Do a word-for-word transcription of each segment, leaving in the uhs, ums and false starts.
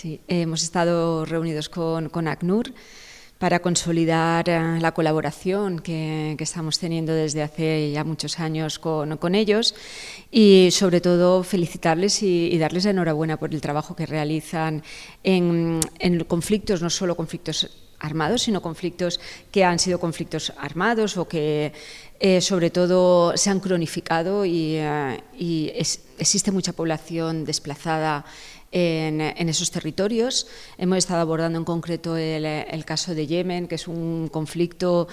Sí, hemos estado reunidos con, con ACNUR para consolidar eh, la colaboración que, que estamos teniendo desde hace ya muchos años con, con ellos y sobre todo felicitarles y, y darles la enhorabuena por el trabajo que realizan en, en conflictos, no solo conflictos armados, sino conflictos que han sido conflictos armados o que eh, sobre todo se han cronificado y, eh, y es, existe mucha población desplazada En, en esos territorios. Hemos estado abordando en concreto el, el caso de Yemen, que es un conflicto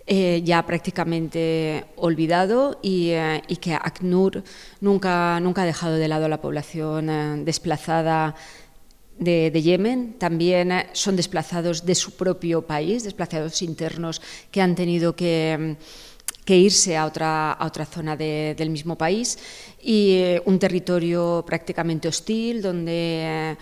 eh, ya prácticamente olvidado y, eh, y que ACNUR nunca, nunca ha dejado de lado a la población eh, desplazada de, de Yemen. También eh, son desplazados de su propio país, desplazados internos que han tenido que... que irse a otra, a otra zona de, del mismo país y eh, un territorio prácticamente hostil donde eh,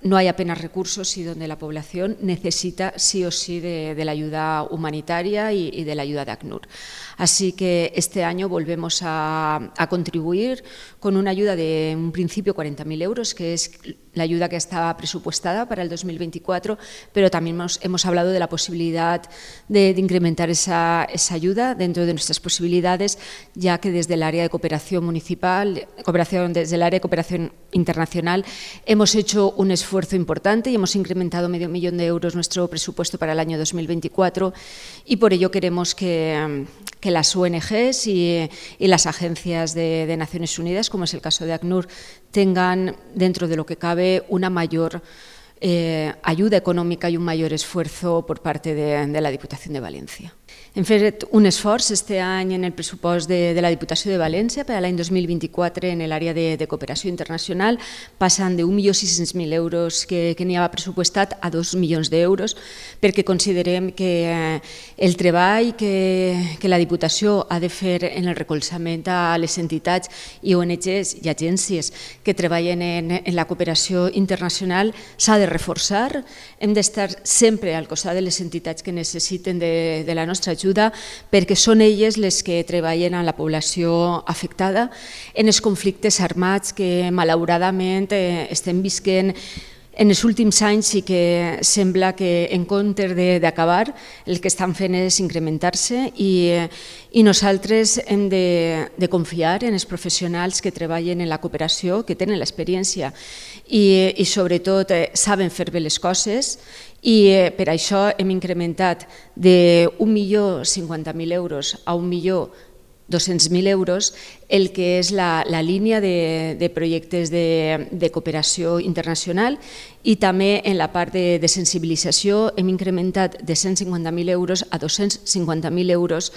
no hay apenas recursos y donde la población necesita sí o sí de, de la ayuda humanitaria y, y de la ayuda de ACNUR. Así que este año volvemos a, a contribuir con una ayuda de un principio cuarenta mil euros, que es la ayuda que estaba presupuestada para el dos mil veinticuatro, pero también hemos, hemos hablado de la posibilidad de, de incrementar esa, esa ayuda dentro de nuestras posibilidades, ya que desde el área de cooperación municipal, cooperación, desde el área de cooperación internacional, hemos hecho un esfuerzo importante y hemos incrementado medio millón de euros nuestro presupuesto para el año dos mil veinticuatro y por ello queremos que, que las O N Ges y, y las agencias de, de Naciones Unidas, como es el caso de ACNUR, tengan dentro de lo que cabe una mayor eh, ayuda econòmica i un mayor esfuerzo por parte de, de la Diputación de Valencia. Hem fet un esforç este any en el pressupost de, de la Diputació de València per a l'any dos mil vint-i-quatre en l'àrea de, de cooperació internacional, passant d'un milió sis-cents mil euros que, que n'hi havia pressupostat a dos milions d'euros, perquè considerem que eh, el treball que, que la Diputació ha de fer en el recolzament a les entitats i O N Ges i agències que treballen en, en la cooperació internacional s'ha de reforçar. Hem d'estar sempre al costat de les entitats que necessiten de, de la nostra ajuda, perquè són elles les que treballen amb la població afectada en els conflictes armats que malauradament eh, estem visquent en els últims anys i que sembla que en comptes d'acabar el que estan fent és incrementar-se i, i nosaltres hem de, de confiar en els professionals que treballen en la cooperació, que tenen l'experiència i, i sobretot eh, saben fer bé les coses i eh, per això hem incrementat d'un milió cinquanta mil euros a un milió dos-cents mil euros el que és la, la línia de, de projectes de, de cooperació internacional i també en la part de, de sensibilització hem incrementat de cent cinquanta mil euros a dos-cents cinquanta mil euros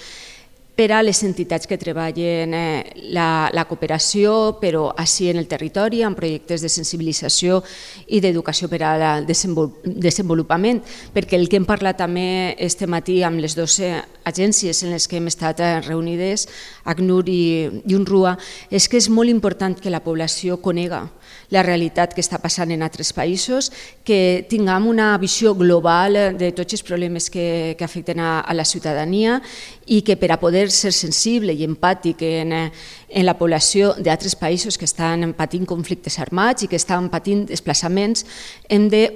per a les entitats que treballen la, la cooperació, però així en el territori, amb projectes de sensibilització i d'educació per al desenvolupament, perquè el que hem parlat també este matí amb les dues agències en les que hem estat reunides, ACNUR i, i UNRWA, és que és molt important que la població conega la realitat que està passant en altres països, que tinguem una visió global de tots els problemes que, que afecten a, a la ciutadania i que per a poder ser sensible i empàtic en, en la població d'altres països que estan patint conflictes armats i que estan patint desplaçaments, hem de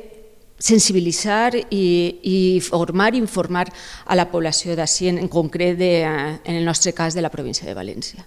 sensibilitzar i, i formar i informar a la població d'ací, en concret de, en el nostre cas de la província de València.